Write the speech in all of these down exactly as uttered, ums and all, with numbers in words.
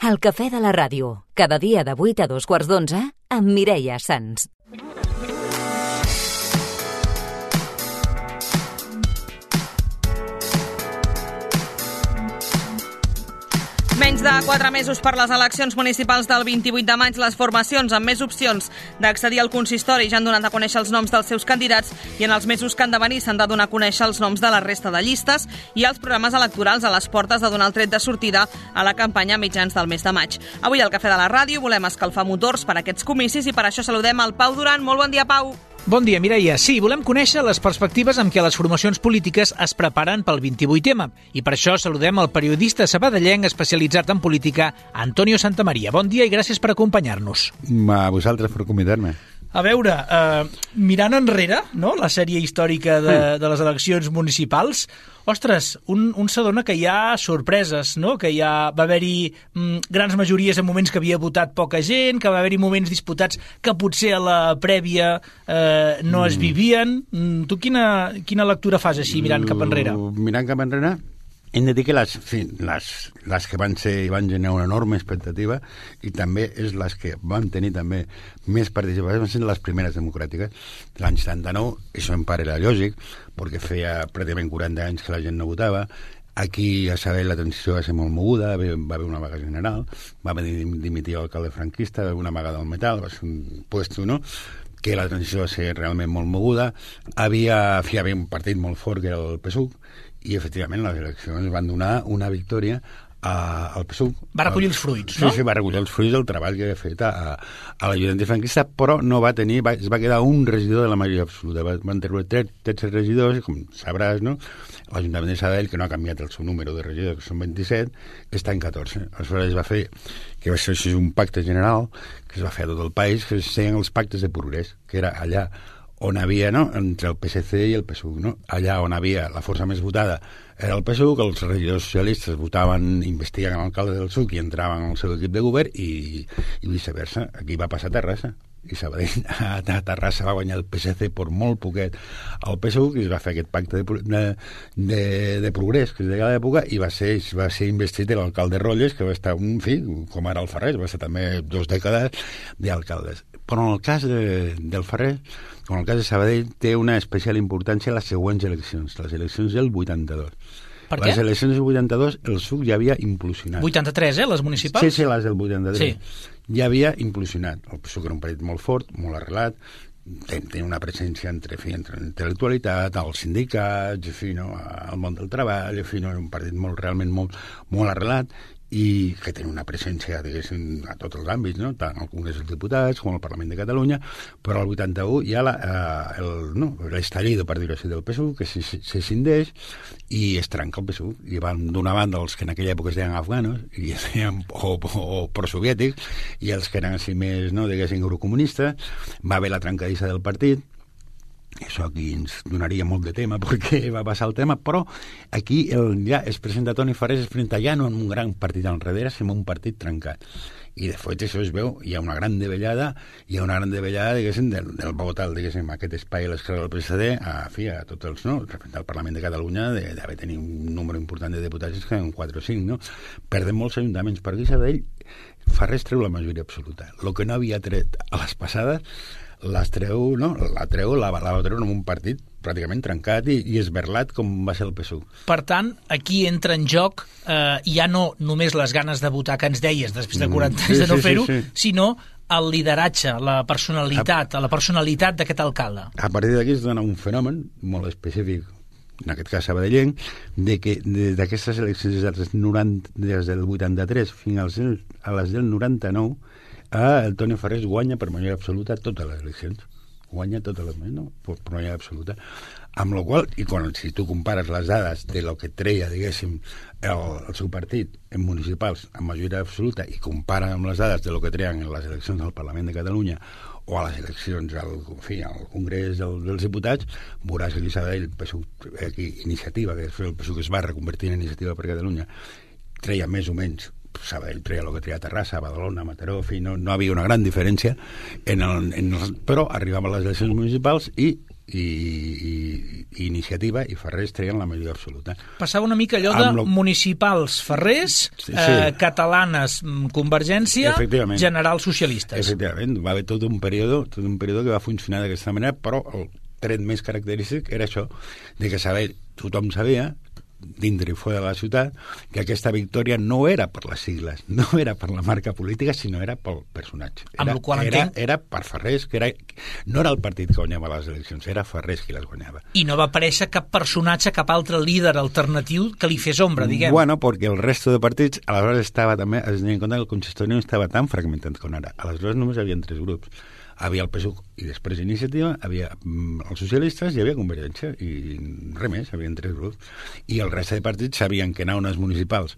El cafè de la ràdio, cada dia de vuit a dos quarts d'onze, amb Mireia Sans. Menys de quatre mesos per les eleccions municipals del vint-i-vuit de maig, les formacions amb més opcions d'accedir al consistori ja han donat a conèixer els noms dels seus candidats i en els mesos que han de venir s'han de donar a conèixer els noms de la resta de llistes i els programes electorals a les portes de donar el tret de sortida a la campanya a mitjans del mes de maig. Avui al Cafè de la Ràdio volem escalfar motors per a aquests comicis i per això saludem el Pau Duran. Molt bon dia, Pau. Bon dia, Mireia. Sí, volem conèixer les perspectives amb què les formacions polítiques es preparen pel vint-i-vuit ema i per això saludem el periodista sabadellenc especialitzat en política, Antonio Santamaria. Bon dia i gràcies per acompanyar-nos. A vosaltres per convidar-me. A veure, eh, mirant enrere, no?, la sèrie històrica de, de les eleccions municipals, ostres, un, un s'adona que hi ha sorpreses, no?, que hi ha, va haver-hi mm, grans majories en moments que havia votat poca gent, que va haver-hi moments disputats que potser a la prèvia eh, no es vivien. Mm, tu quina, quina lectura fas així, mirant cap enrere? Mirant cap enrere, hem de dir que les, sí, les, les que van ser i van generar una enorme expectativa i també és les que van tenir també més participació, van ser les primeres democràtiques. L'any setanta-nou, això en part era lògic, perquè feia pràcticament quaranta anys que la gent no votava. Aquí a Sabadell la transició va ser molt moguda, va haver una vaga general, va haver dimitir l'alcalde franquista, va haver una vaga del metal, va ser un puesto, no?, que la transició va ser realment molt moguda. Havia, hi havia un partit molt fort que era el P S U C, i efectivament les eleccions van donar una victòria a, al P S U C. Va recollir els fruits, no? Sí, sí, va recollir els fruits del treball que havia fet a, a l'Ajuntament franquista, però no va tenir, va, es va quedar un regidor de la majoria absoluta. Van treure tretze regidors, com sabràs, no? L'Ajuntament de Sabadell, que no ha canviat el seu número de regidors, que són vint-i-set, està en catorze. Aleshores es va fer, que va ser així un pacte general, que es va fer a tot el país, que es deien els pactes de progrés, que era allà on havia, no?, entre el P S C i el P S U C, no? Allà on havia la força més votada era el P S U C, els regidors socialistes votaven, investiguen l'alcalde del S U C i entraven al seu equip de govern i, i viceversa. Aquí va passar a Terrassa i Sabadell, a Terrassa va guanyar el P S C per molt poquet al P S U C i es va fer aquest pacte de, de, de, de progrés que es deia a l'època i va ser, va ser investit l'alcalde Rolles, que va estar, en fi, com ara el Ferrer, va ser també dos dècades d'alcaldes. Però en el cas de, del Ferrer, en el cas de Sabadell, té una especial importància les següents eleccions, les eleccions del vuitanta-dos. Per què? Les eleccions del vuitanta-dos, el S U C ja havia implosionat. vuitanta-tres, eh, les municipals? Sí, sí, les del vuitanta-tres. Sí. Ja havia implosionat. El P S U C era un partit molt fort, molt arrelat, tenia una presència entre, fi, entre intel·lectualitat, els sindicats, fi, no, el món del treball, fi, no, un partit molt, realment molt, molt arrelat, i que tenen una presència, diguéssim, a tots els àmbits, no?, tant al Congrés dels Diputats com al Parlament de Catalunya, però al vuitanta-u hi ha la, eh, el, no, l'estallido, per dir-ho així, del P S U, que se, se scindeix i es trenca el P S U. I van d'una banda els que en aquella època es deien afganos i es deien, o, o, o prosoviètics, i els que eren així més, no, diguéssim, eurocomunistes. Va haver la trencadissa del partit. Això aquí ens donaria molt de tema perquè va passar el tema, però aquí el, ja es presenta Toni Farrés, es presenta ja no en un gran partit enrere, sinó un partit trencat. I de fet això es veu, hi ha una gran davellada, hi ha una gran davellada, diguéssim, del, del Bogotà, diguéssim, aquest espai a l'esquerra del P S D, a, fi, a tots els, no?, representar el Parlament de Catalunya, d'haver tenir un número important de diputats, que en quatre o cinc, no? Perden molts ajuntaments. Per aquí Sabadell, Farrés treu la majoria absoluta. El que no havia tret a les passades, les treu, no? La treu, la, la va treure en un partit pràcticament trencat i, i esberlat com va ser el P S U. Per tant, aquí entra en joc eh, ja no només les ganes de votar que ens deies després de quaranta anys mm, sí, de no sí, fer-ho, sí, sí. sinó el lideratge, la personalitat, a, la personalitat d'aquest alcalde. A partir d'aquí es dona un fenomen molt específic, en aquest cas sabadellenc, de que d'aquestes eleccions des dels, noranta, des del vuitanta-tres fins als, a les del noranta-nou, el Toni Farrés guanya per majoria absoluta totes les eleccions. Guanya totes les, no? Per majoria absoluta. Amb la qual, i quan, si tu compares les dades de lo que treia, diguéssim, el, el seu partit en municipals amb majoria absoluta i compara amb les dades de lo que treien en les eleccions del Parlament de Catalunya o a les eleccions al, en fi, al Congrés del, dels Diputats, veuràs que aquí Sabadell, aquí, Iniciativa, que és el P S U que es va reconvertir en Iniciativa per Catalunya, treia més o menys Sabadell treia el que treia Terrassa, Badalona, Mataró, fi, no, no havia una gran diferència, en el, en el, però arribaven les eleccions municipals i i, i, i Iniciativa i Ferrés treien la majoria absoluta. Passava una mica allò de lo... municipals Ferrés, sí, sí. Eh, catalanes Convergència, generals socialistes. Efectivament, va haver tot un període, tot un període que va funcionar d'aquesta manera, però el tret més característic era això, de que saber, tothom sabia, dintre i fora de la ciutat, que aquesta victòria no era per les sigles, no era per la marca política, sinó era pel personatge. Era, amb el qual era, entenc... era per Ferrés, que era, no era el partit que guanyava les eleccions, era Ferrés qui les guanyava. I no va aparèixer cap personatge, cap altre líder alternatiu que li fes ombra, diguem. Bueno, perquè el resto de partits, aleshores estava també, es tenia en compte que el consistori no estava tan fragmentat com ara. Aleshores només hi havia tres grups. Havia el P S U i després Iniciativa, havia mm, els socialistes i hi havia Convergència, i res més, hi havia tres grups. I el reste de partits sabien que anar a unes municipals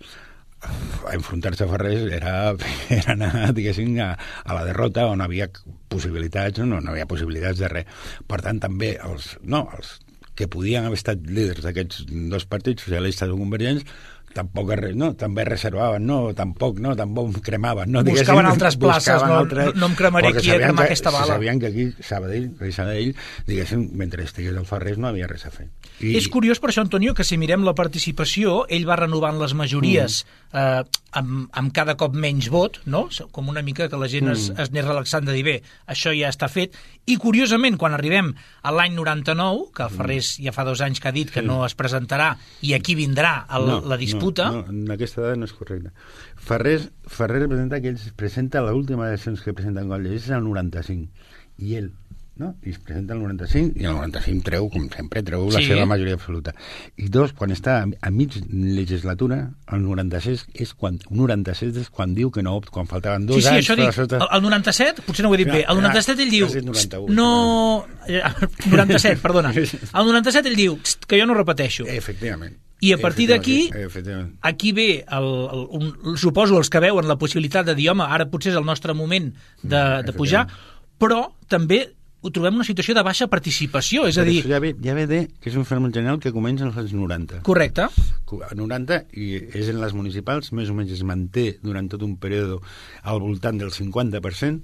a enfrontar-se a Ferrés era, era anar, diguéssim, a, a la derrota, on havia possibilitats, no, no havia possibilitats de res. Per tant, també els, no, els que podien haver estat líders d'aquests dos partits, socialistes o convergents, tampoc res, no, també reservaven, no, tampoc, no, tampoc cremaven. No, buscaven altres places, no, altres, no em cremaré aquí a cremar que, aquesta bala. Sabien que aquí, Sabadell, Sabadell, diguéssim, mentre estigués el Ferrés no havia res a fer. I... És curiós per això, Antonio, que si mirem la participació, ell va renovant les majories mm. eh, amb, amb cada cop menys vot, no? Com una mica que la gent mm. es, es anés relaxant de dir, bé, això ja està fet. I curiosament, quan arribem a l'any noranta-nou, que Ferrés ja fa dos anys que ha dit que sí. no es presentarà i aquí vindrà el, no, la disputa... No, no, en aquesta dada no és correcte. Ferrés, Ferrés presenta que ell es presenta l'última eleccions que presenta en Coll és el noranta-cinc. I ell, no? I es presenta el noranta-cinc, i el noranta-cinc treu, com sempre, treu la sí. seva majoria absoluta. I dos, quan està a mig legislatura, el noranta-sis és quan, noranta-set és quan diu que no, quan faltaven dos sí, sí, anys... Sí, això dic, sota... el, el noranta-set, potser no ho he dit ja, bé, el noranta-set ell diu... No... noranta-set, perdona. El noranta-set ell diu que jo no repeteixo. Efectivament. I a partir d'aquí, aquí ve, el, el, un, suposo, els que veuen la possibilitat de dir, home, ara potser és el nostre moment de, de pujar, però també ho trobem una situació de baixa participació, és a dir... Ja ve, ja ve de que és un fenomen general que comença als anys noranta. Correcte. noranta, i és en les municipals, més o menys es manté durant tot un període al voltant del cinquanta per cent,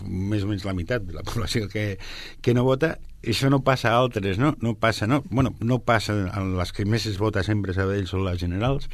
més o menys la meitat de la població que, que no vota. Això no passa a altres, no? No passa, no? Bueno, no passa en les que més es vota sempre a Sabadell són les generals,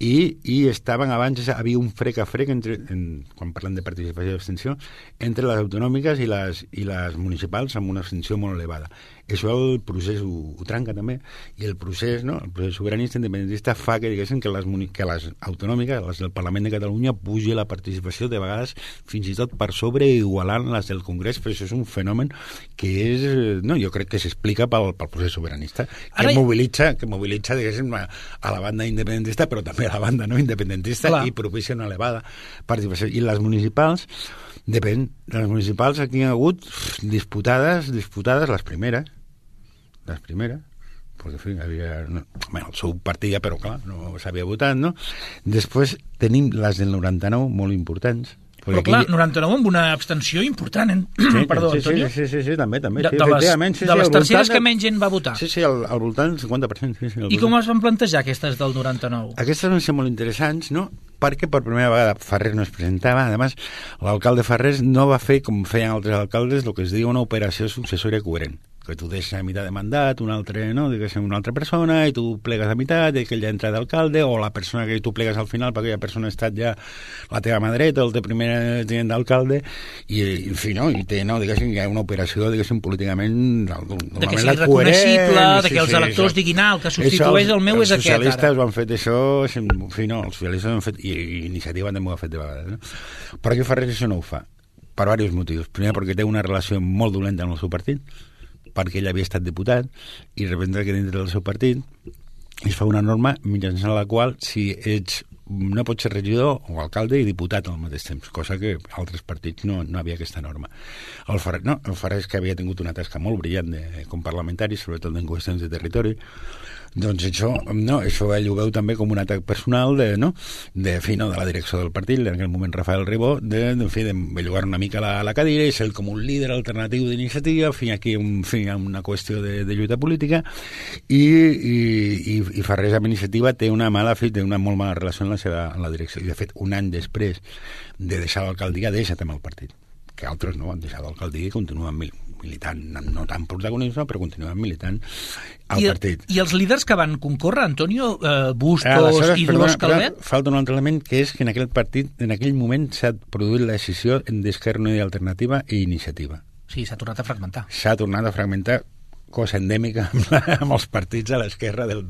i, i estaven abans, havia un frec a frec entre, en, quan parlem de participació i abstenció, entre les autonòmiques i les, i les municipals amb una abstenció molt elevada. Això el procés ho, ho trenca també, i el procés, no? El procés sobiranista independentista fa que diguéssim que les, que les autonòmiques, les del Parlament de Catalunya, pugi la participació de vegades fins i tot per sobre igualant les del Congrés, però això és un fenomen que és, no, jo crec que s'explica pel, pel procés sobiranista, que Ara... mobilitza, que mobilitza diguéssim, a, a la banda independentista, però també a la banda no independentista, Clar. I propicia una elevada participació. I les municipals, depèn, les municipals aquí hi ha hagut disputades, disputades les primeres, les primeres, perquè en fi, havia, no, bueno, el seu partit ja, però clar, no s'havia votat, no? Després tenim les del noranta-nou, molt importants. Però clar, aquí... noranta-nou amb una abstenció important, eh? Sí, Perdó, sí, Antonio. Sí, sí, sí, sí, també, també. De, sí, de les, sí, de les sí, terceres que menys gent va votar. Sí, sí, al, al voltant del cinquanta per cent. Sí, sí, I com es van plantejar aquestes del noranta-nou? Aquestes van ser molt interessants, no? Perquè per primera vegada Ferrés no es presentava. A més, l'alcalde Ferrés no va fer, com feien altres alcaldes, el que es diu una operació successòria coherent, que tu deixes a meitat de mandat un altre, no? Diguéssim, una altra persona, i tu plegues a meitat, i aquell ja entra d'alcalde, o la persona que tu plegues al final, perquè aquella persona ha estat ja la teva mà dreta, el teu primer tinent d'alcalde, i, en fi, no? I té, no? Diguéssim, hi ha una operació, diguéssim, políticament... De que sigui reconeixible, de que sí, els electors sí, diguin, ah, el que substitueix això, el meu és aquest, ara. Els socialistes ho han fet això, en fi, no, els socialistes ho han fet, i, i Iniciativa també ho ha fet de vegades, no? Però aquí Ferrés això no ho fa, per diversos motius. Primer, perquè té una relació molt dolenta amb el seu partit, perquè ell havia estat diputat, i representa que dintre del seu partit es fa una norma mitjançant la qual si ets no pots ser regidor o alcalde i diputat al mateix temps, cosa que altres partits no, no havia aquesta norma. El Ferrés, no, el Ferrés, que havia tingut una tasca molt brillant de, com parlamentari, sobretot en qüestions de territori, doncs això, no, això ell ho veu també com un atac personal de, no, de, fi, no, de la direcció del partit, en aquell moment Rafael Ribó, de, de, fi, de bellugar una mica la, la cadira i ser com un líder alternatiu d'iniciativa, fi, aquí un, fi, una qüestió de, de lluita política, i, i, i, i Ferrés amb Iniciativa té una mala, fi, té una molt mala relació en la seva en la direcció, i de fet un any després de deixar l'alcaldia deixa també el partit, que altres no han deixat l'alcaldia i continuen militant, no tan protagonista, però continuem militant al I, partit. I els líders que van concórrer, Antonio, eh, Bustos Aleshores, i Dolors perdona, Calvet? Falta un altre element, que és que en aquell partit, en aquell moment, s'ha produït la decisió d'Esquerra Unida Alternativa i Iniciativa. Sí, s'ha tornat a fragmentar. S'ha tornat a fragmentar, cosa endèmica amb, la, amb els partits a l'esquerra del,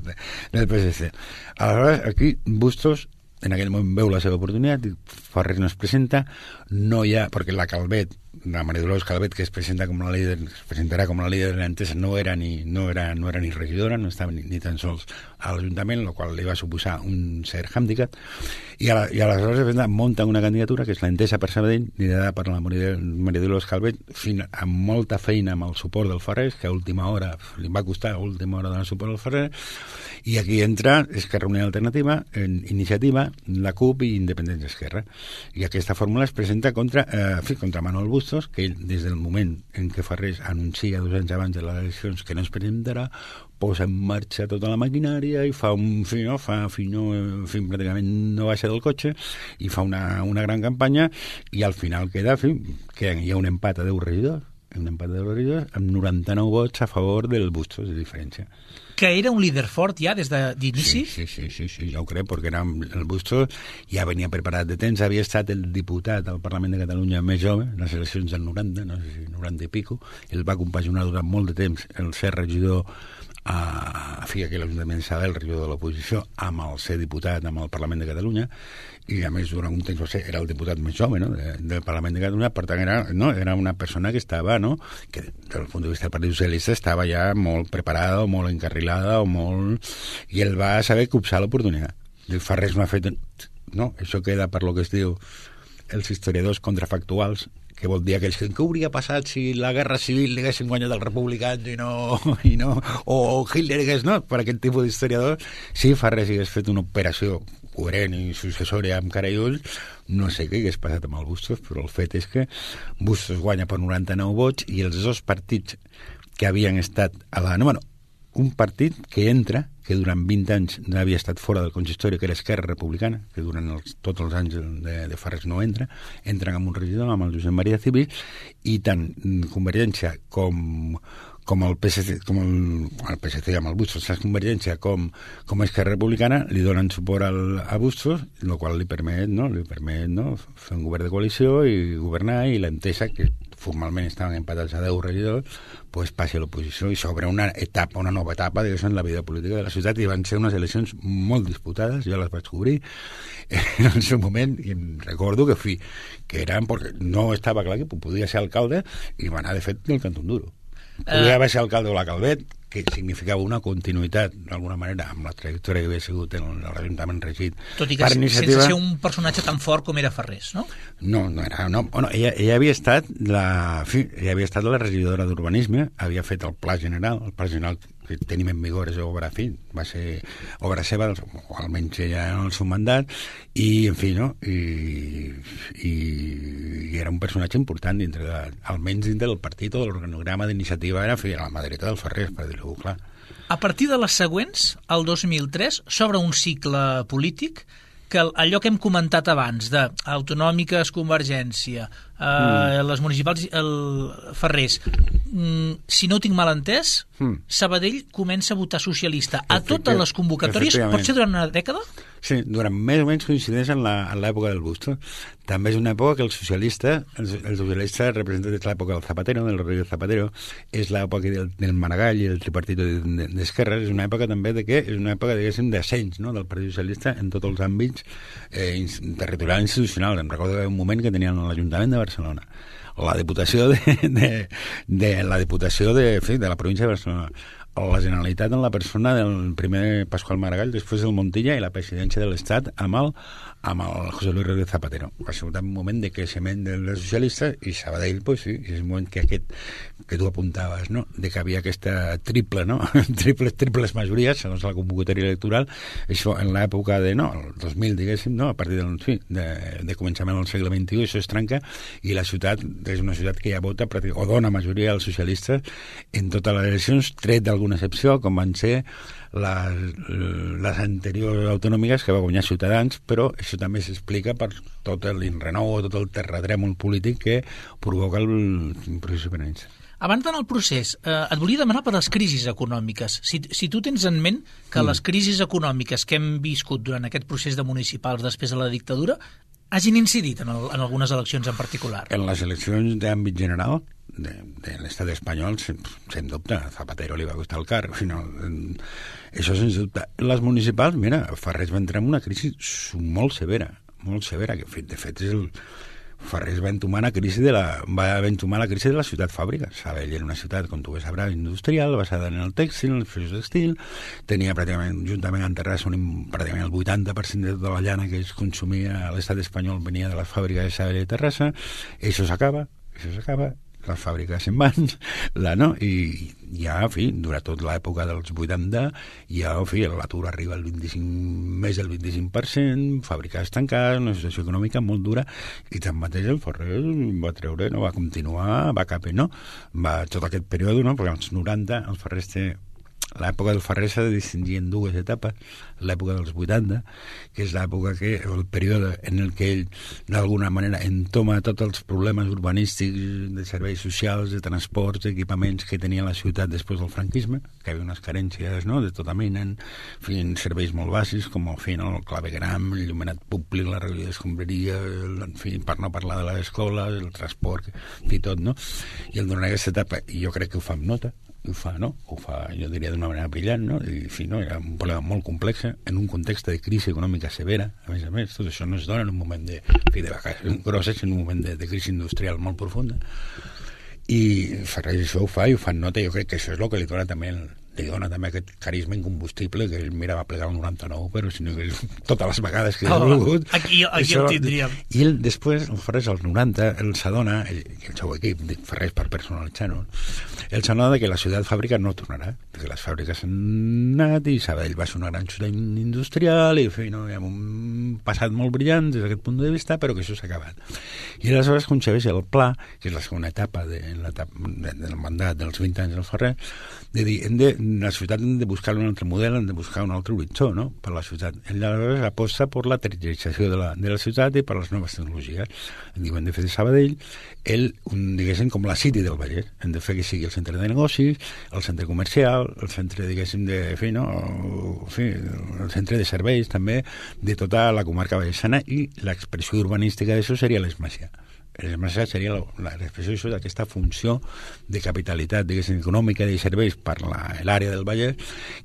del P S C. Aleshores, aquí Bustos en aquell moment veu la seva oportunitat, Farrés no es presenta, no hi ha, perquè la Calvet, la Maria Dolors Calvet, que es presenta com la líder, es presentarà com la líder de l'Entesa, no era ni, no era, no era ni regidora, no estava ni, ni tan sols a l'Ajuntament, el qual li va suposar un cert hàndicap, i, a la, i aleshores munta una candidatura, que és l'Entesa per Sabadell, liderada per la Maria, Maria Dolors Calvet, fin, amb molta feina amb el suport del Farrés, que a última hora, li va costar a última hora donar suport al Farrés, i aquí entra Esquerra Unida Alternativa, en Iniciativa, la CUP i Independència Esquerra. I aquesta fórmula es presenta contra, eh, contra Manuel Bustos, que ell, des del moment en què Farrés anuncia dos anys abans de les eleccions que no es presentarà, posa en marxa tota la maquinària i fa un fi, no, fa fi, no, fi, pràcticament no baixa del cotxe i fa una, una gran campanya i al final queda, fi, que hi ha un empat a deu regidors, un empat de deu regidors amb noranta-nou vots a favor del Bustos de diferència. Que era un líder fort ja des d'inici? Sí, sí, sí, sí, sí, ja ho crec, perquè era el Bustos ja venia preparat de temps, havia estat el diputat al Parlament de Catalunya més jove, en les eleccions del noranta, no sé si noranta i pico, ell va compaginar durant molt de temps el ser regidor a, a fi, aquí a l'Ajuntament de Sabadell, regidor de l'oposició, amb el ser diputat amb el Parlament de Catalunya, i a més durant un temps ser, era el diputat més jove, no?, de, del Parlament de Catalunya, per tant era, no, era una persona que estava, no?, que des del punt de vista del Partit Socialista estava ja molt preparada o molt encarrilada o molt... i ell va saber copsar l'oportunitat. El Farrés no ha fet... No, això queda per lo que es diu els historiadors contrafactuals, que vol dir aquells que què hauria passat si la guerra civil li haguessin guanyat els republicans i no, i no o, o Hitler hagués, no, per aquest tipus d'historiadors, si Farrés hagués fet una operació coherent i successòria amb cara i ulls, no sé què hagués passat amb el Bustos, però el fet és que Bustos guanya per noranta-nou vots i els dos partits que havien estat a la... No, bueno, un partit que entra, que durant vint anys no havia estat fora del consistori, que era Esquerra Republicana, que durant els, tots els anys de, de Farrés no entra, entren amb un regidor, amb el Josep Maria Civil, i tant Convergència com, com el P S C, com el, el P S C amb el Bustos, la Convergència com, com Esquerra Republicana, li donen suport al, a Bustos, el qual li permet, no, li permet no, fer un govern de coalició i governar, i l'Entesa, que formalment estaven empatats a deu regidors, pues passi a l'oposició i s'obre una etapa, una nova etapa en la vida política de la ciutat, i van ser unes eleccions molt disputades, jo les vaig cobrir en el seu moment, i em recordo que, fi, que eren, perquè no estava clar que podia ser alcalde, i va anar de fet del Cantó Duro. Podia haver ser alcalde de la Calvet, que significava una continuïtat, d'alguna manera, amb la trajectòria que havia sigut en l'Ajuntament regit. Tot i que iniciativa... sense ser un personatge tan fort com era Farrés, no? No, no era... No, bueno, ella, ella havia estat la, fi, ella havia estat la regidora d'Urbanisme, havia fet el Pla General, el Pla General que tenim en vigor és obra, fi, va ser obra seva, o almenys ella en el seu mandat, i, en fi, no? I, i, i era un personatge important dintre de, almenys dintre del partit o de l'organograma d'iniciativa, era, fi, la mà dreta del Farrés, per dir-ho clar. A partir de les següents, el dos mil tres, s'obre un cicle polític que allò que hem comentat abans de autonòmiques, Convergència, eh, mm. les municipals, el Farrés, mm, si no ho tinc mal entès, mm. Sabadell comença a votar socialista a totes les convocatòries. Pot ser durant una dècada? Sí, durant més o menys coincideix en l'època del Bustos. També és una època que el socialista, el, el socialista representa des l'època del Zapatero, del Rodríguez Zapatero, és l'època del, del Maragall i el tripartit d'esquerres, és una època també de què? És una època, diguéssim, d'ascens, no?, del Partit Socialista en tots els àmbits eh, territorial i institucional. Em recordo que hi havia un moment que tenien l'Ajuntament de Barcelona, la Diputació de, de, de la Diputació de, fi, de la província de Barcelona, la Generalitat en la persona del primer Pasqual Maragall, després del Montilla, i la presidència de l'Estat amb el, amb el José Luis Rodríguez Zapatero. Va ser un moment de creixement dels socialistes, i Sabadell, pues sí, és un moment que aquest que tu apuntaves, no?, de que havia aquesta triple, no?, triples, triples majories, segons la convocatòria electoral, això en l'època de, no, el dos mil, diguéssim, no?, a partir del, sí, de, de començament del segle vint-i-u, això es trenca, i la ciutat és una ciutat que ja vota, o dona majoria als socialistes en totes les eleccions, tret d'alguna excepció, com van ser les, les anteriors autonòmiques que va guanyar Ciutadans, però això també s'explica per tot l'enrenou, tot el terratrèmol polític que provoca el procés independentista. Abans d'anar al procés, eh, et volia demanar per les crisis econòmiques. Si, si tu tens en ment que mm. les crisis econòmiques que hem viscut durant aquest procés de municipals després de la dictadura hagin incidit en, el, en algunes eleccions en particular. En les eleccions d'àmbit general de, de l'estat espanyol, sen, sen dubte, a Zapatero li va costar el car, al final, això sens dubte. Les municipals, mira, Farrés va entrar en una crisi molt severa, molt severa, que de fet és el... Farrés va entomar la crisi de la, va entomar la crisi de la ciutat fàbrica. Sabell era una ciutat, com tu bé sabràs, industrial, basada en el tèxtil, en el feix textil, tenia pràcticament, juntament amb Terrassa, un, pràcticament el vuitanta per cent de tota la llana que es consumia a l'estat espanyol venia de les fàbriques de Sabell i Terrassa. Això s'acaba, això s'acaba, les fàbriques se'n van, la, no? I ja, en fi, durant tota l'època dels vuitanta, ja, en fi, l'atur arriba al vint-i-cinc, més del vint-i-cinc per cent, fàbriques tancades, una situació econòmica molt dura, i tanmateix el Farrés va treure, no, va continuar, va cap, no? Va tot aquest període, no? Perquè als noranta el Farrés té... L'època del Farrés s'ha de distingir en dues etapes. L'època dels vuitanta, que és l'època que, el període en el que ell, d'alguna manera, entoma tots els problemes urbanístics, de serveis socials, de transports, d'equipaments que tenia la ciutat després del franquisme, que hi havia unes carències, no?, de tota mena, en fi, en serveis molt bàsics, com el, fi, no, el clavegram, el llumenat públic, la recollida d'escombraria, en fi, per no parlar de les escoles, el transport, en fi, tot, no? I el donar aquesta etapa, i jo crec que ho fa amb nota, ho fa, no? Ho fa, jo diria, d'una manera brillant, no? I, en fi, no? Era un problema molt complex, en un context de crisi econòmica severa, a més a més, tot això no es dona en un moment de, en fi, de vacacions grosses, en un moment de, de crisi industrial molt profunda. I Farrés això ho fa i ho fa en nota, jo crec que això és el que li dona també el, li dona també aquest carisma incombustible que ell, mira, va plegar el noranta-nou, però si no, totes les vegades que oh, ha volgut... Aquí, aquí això, el tindríem. I ell, després, el Farrés, als noranta, ell s'adona, ell, el seu equip, Farrés per personalitzar-ho, ell s'adona que la ciutat fàbrica no tornarà, perquè les fàbriques han anat i Sabadell va ser una gran ciutat industrial i, en fi, no, hi ha un passat molt brillant des d'aquest punt de vista, però que això s'ha acabat. I aleshores concebeix el pla, que és la segona etapa, de, l'etapa de, del mandat dels vint anys del Farrés, de dir, hem de, la ciutat hem de buscar un altre model, hem de buscar un altre horitzó, no?, per la ciutat. Ell aleshores aposta per la terciarització de la, de la ciutat i per les noves tecnologies. Em diuen de fer de Sabadell, ell, un, diguéssim, com la City del Vallès. Hem de fer que sigui el centre de negocis, el centre comercial, el centre, diguéssim, de, fi, no?, fi, el centre de serveis, també, de tota la comarca vallesana, i l'expressió urbanística d'això seria l'Esmàcia. L'Esmàcia seria l'expressió d'aquesta funció de capitalitat, diguéssim, econòmica i de serveis per l'àrea del Vallès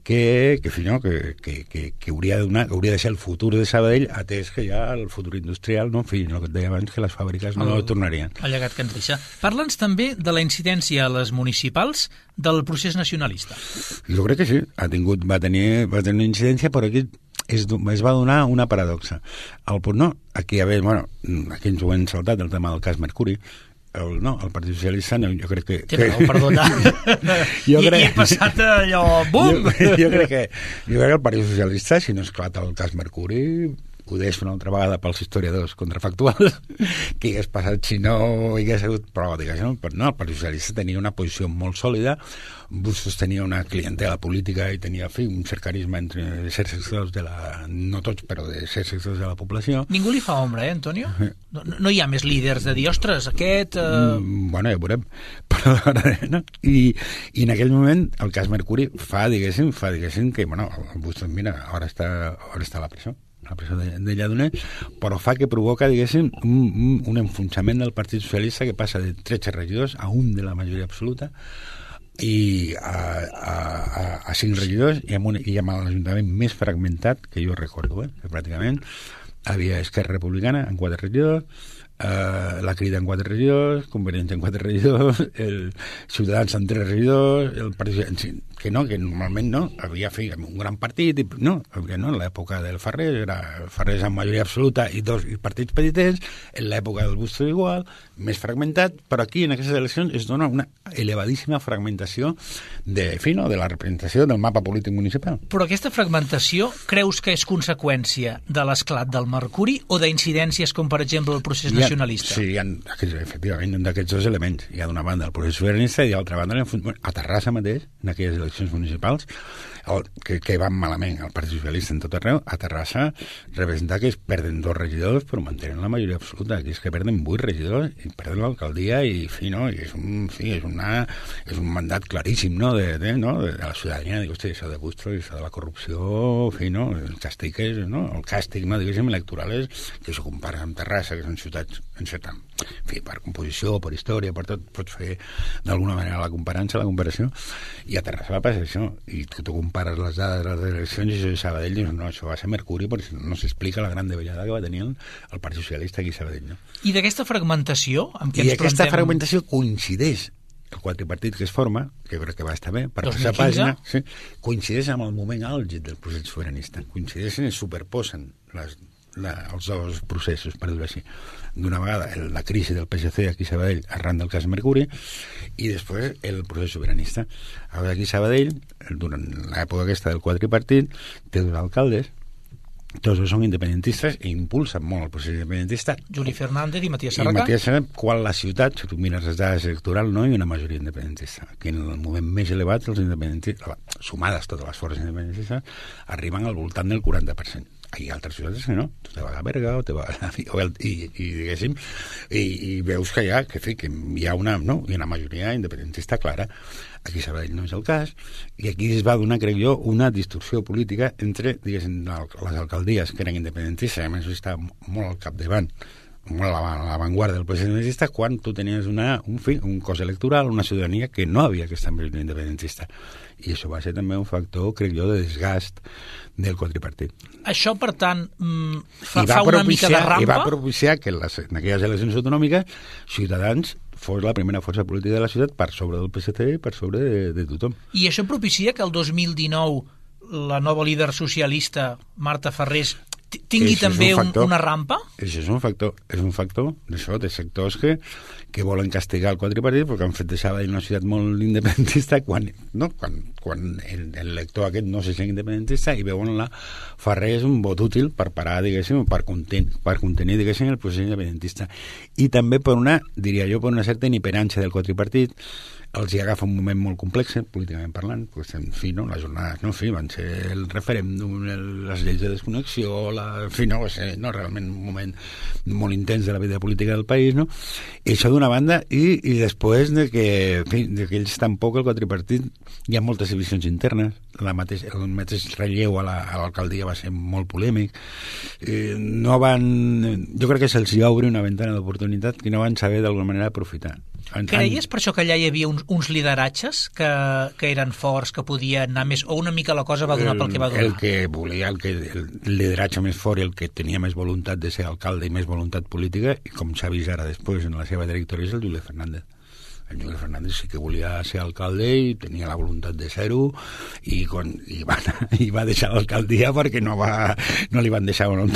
que, que, no, que, que, que, que hauria, de donar, hauria de ser el futur de Sabadell, atès que ja el futur industrial, no, en fi, el que et deia abans, que les fàbriques no el, tornarien. El llegat que ens deixa. Parla'ns també de la incidència a les municipals del procés nacionalista. Jo crec que sí, ha tingut, va tenir, va tenir una incidència, però aquí es, es va donar una paradoxa. El punt no, aquí, a veure, bueno, aquí ens ho hem saltat, el tema del cas Mercuri, el, no, el Partit Socialista, no, jo crec que... Té raó, perdona. jo I, crec, I he passat allò, bum! Jo, jo, crec que, jo crec que el Partit Socialista, si no esclata el cas Mercuri, ho deixo una altra vegada pels historiadors contrafactuals, que hagués passat si no hi hagués hagut prova, diguéssim, però no, el Partit Socialista tenia una posició molt sòlida, Bustos tenia una clientela política i tenia, fi, un cert carisma entre certs sectors de la... no tots, però de certs sectors de la població. Ningú li fa ombra, eh, Antonio? No, no hi ha més líders de dir, ostres, aquest... Uh... Mm, bueno, ja ho veurem. Però, no? I, I en aquell moment el cas Mercuri fa, diguéssim, fa, diguéssim que, bueno, el Bustos, mira, ara està, ara està a la presó. la presó de, de Lladonet, però fa que provoca, diguéssim, un, un, un enfonsament del Partit Socialista que passa de tretze regidors a un de la majoria absoluta i a, a, a, a cinc regidors i amb, un, i amb l'Ajuntament més fragmentat que jo recordo, eh? Que pràcticament havia Esquerra Republicana en quatre regidors, Uh, la Crida en quatre regidors, Convergència en quatre regidors, el Ciutadans en tres regidors, el Partit, que no, que normalment no, havia fet un gran partit, i, no, no, en l'època del Farrés, era Farrés amb majoria absoluta i dos i partits petitets, en l'època del Bustos igual, més fragmentat, però aquí en aquestes eleccions es dona una elevadíssima fragmentació de, fi, no, de la representació del mapa polític municipal. Però aquesta fragmentació creus que és conseqüència de l'esclat del Mercuri o d'incidències com, per exemple, el procés ja, nacionalista? Sí, hi ha, efectivament, un d'aquests dos elements. Hi ha d'una banda el procés sobiranista i d'altra banda a Terrassa mateix, en aquelles eleccions municipals, el, que, que van malament el Partit Socialista en tot arreu, a Terrassa representa que es perden dos regidors però mantenen la majoria absoluta, que és que perden vuit regidors i perden l'alcaldia i, fi, no? I és, un, fi, és, una, és un mandat claríssim, no? De, de, no? de, de la ciutadania, dic, hosti, això de Bustro, això de la corrupció, fi, no? El càstig és, no? El càstig, no? Diguéssim, electoral és que s'ho compara amb Terrassa, que són ciutats encertant. En fi, per composició, per història, per tot, pots fer d'alguna manera la comparança, la comparació, i a Terrassa va passar això, i tu, tu compares les dades de les eleccions i això de Sabadell, dius, no, això va ser Mercuri, perquè no s'explica la gran davallada que va tenir el, el Partit Socialista aquí a Sabadell, no? I d'aquesta fragmentació amb què I ens aquesta plantem... fragmentació coincideix el quadripartit que es forma, que crec que va estar bé, per dos mil quinze? passar pàgina, sí, coincideix amb el moment àlgid del procés sobiranista, coincideixen i superposen les, la, els dos processos, per dir-ho així. D'una vegada el, la crisi del P S C aquí a Sabadell arran del cas Mercuri i després el procés sobiranista. Ara aquí a Sabadell, durant l'època aquesta del quadripartit, té dos alcaldes, tots són independentistes i impulsen molt el procés independentista. Juli Fernández i Matías I Serracà. Matías Serracà, quan la ciutat, si tu mires les dades electorals, no hi ha una majoria independentista. Que en el moment més elevat, els independentistes, sumades totes les forces independentistes, arriben al voltant del quaranta per cent. Hi ha altres ciutats que no, tu te vas a Berga o te vas a... I, i diguéssim, i, i veus que hi ha, que, fi, que hi ha una, no, hi ha una majoria independentista clara. Aquí a Sabadell no és el cas, i aquí es va donar, crec jo, una distorsió política entre, diguéssim, les alcaldies que eren independentistes, a més està molt al capdavant, molt a l'avantguarda del procés independentista, quan tu tenies una, un, fi, un cos electoral, una ciutadania que no havia aquesta majoria independentista. I això va ser també un factor, crec jo, de desgast del quadripartit. Això, per tant, fa, fa una mica de rampa? I va propiciar que en, les, en aquelles eleccions autonòmiques Ciutadans fos la primera força política de la ciutat per sobre del P S C i per sobre de, de tothom. I això propicia que el dos mil dinou la nova líder socialista, Marta Farrés, tingui això també un un, una rampa? Això és un factor, és un factor d'això, de sectors que, que volen castigar el quadripartit perquè han fet de Sabadell una ciutat molt independentista quan, no, quan, quan el, el lector aquest no se sent independentista i veuen la Farrés un vot útil per parar, diguéssim, per, conten, per contenir, diguéssim, el procés independentista. I també per una, diria jo, per una certa iniperància del quadripartit. Els hi agafa un moment molt complex, políticament parlant, pues, en fi, no? Les jornades, no? En fi, van ser el referèndum, el, les lleis de desconnexió, la, en fi, no? Va ser, no? Realment un moment molt intens de la vida política del país, no? I això d'una banda, i, i després de que, en fi, de que ells tampoc, el quadripartit, hi ha moltes divisions internes, la mateix, el mateix relleu a l'alcaldia la, va ser molt polèmic, eh, no van... Jo crec que se'ls hi obre una ventana d'oportunitat que no van saber d'alguna manera aprofitar. En, Creies per això que allà hi havia uns, uns lideratges que, que eren forts, que podien anar més, o una mica la cosa va donar el, pel que va donar? El que volia, el, que, el lideratge més fort i el que tenia més voluntat de ser alcalde i més voluntat política, i com s'ha vist ara després en la seva trajectòria, és el Juli Fernández. El Juli Fernández sí que volia ser alcalde i tenia la voluntat de ser-ho i, quan, i, va, i va deixar l'alcaldia perquè no, va, no li van deixar una,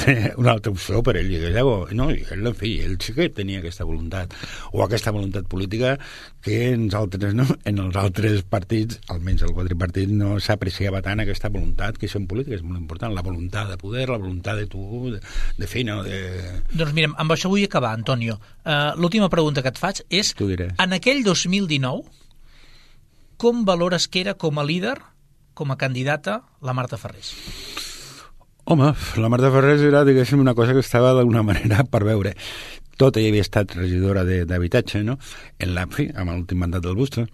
una altra opció per ell. I, no, i ell, en fi, ell sí que tenia aquesta voluntat o aquesta voluntat política que en els altres, no? En els altres partits, almenys el quadripartit, no s'apreciava tant aquesta voluntat que són polítiques, és molt important, la voluntat de poder, la voluntat de tu, de, de fer, no? De... Doncs mirem, amb això vull acabar, Antonio. Uh, l'última pregunta que et faig és, en aquell dos mil dinou, com valores que era com a líder, com a candidata, la Marta Farrés? Home, la Marta Farrés era, diguéssim, una cosa que estava d'alguna manera per veure. Tot ella havia estat regidora d'habitatge, no? En la, fi, amb l'últim mandat del Bustos.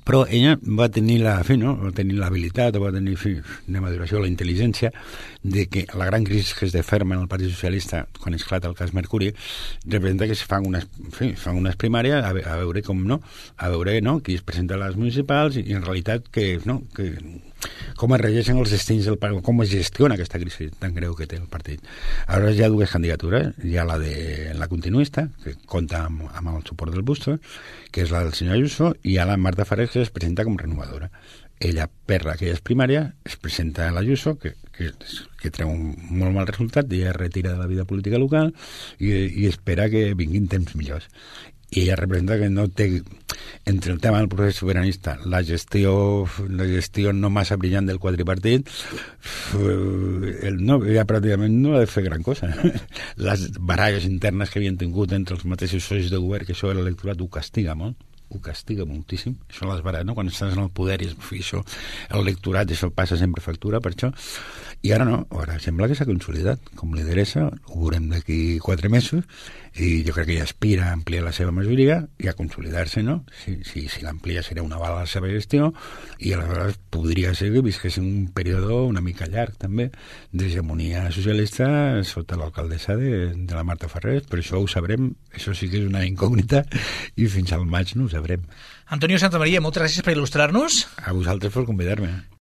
Però ella va tenir la, fi, no? va tenir l'habilitat, va tenir, fi, anem a dir això, la intel·ligència de que la gran crisi que es deferma en el Partit Socialista quan esclata el cas Mercuri representa que es fan unes, fi, fan unes primàries a, a veure com no, a veure no, qui es presenta a les municipals i, i en realitat que, no, que com es regeixen els destins del partit, com es gestiona aquesta crisi tan greu que té el partit. Ara hi ha dues candidatures, hi ha la de la continuista, que compta amb, amb el suport del Bustos, que és la del senyor Ayuso, i hi ha la Marta Farrés, que es presenta com renovadora. Ella, per aquelles primàries, es presenta a l'Ayuso, que, que, que treu un molt mal resultat, i ella es retira de la vida política local i, i espera que vinguin temps millors. I ella representa que no té, entre el tema del procés sobiranista, la gestió, la gestió no massa brillant del quadripartit, el, no, ella pràcticament no ha de fer gran cosa. Les baralles internes que havien tingut entre els mateixos socis de govern, que això l'electorat ho castiga molt. ho castiga moltíssim, això l'has barat, no? Quan estàs en el poder i això, el lectorat, això passa sempre factura per això, i ara no, ara sembla que s'ha consolidat com lideressa, ho veurem d'aquí quatre mesos, i jo crec que ja aspira a ampliar la seva majoria i a consolidar-se, no? Si, si, si l'amplia serà una bala a la seva gestió, i aleshores podria ser que visqués un període una mica llarg, també, d'hegemonia socialista sota l'alcaldessa de, de la Marta Ferrer, però això ho sabrem, això sí que és una incògnita, i fins al maig no ho sabrem. Antonio Santamaría, moltes gràcies per il·lustrar-nos. A vosaltres per convidar-me.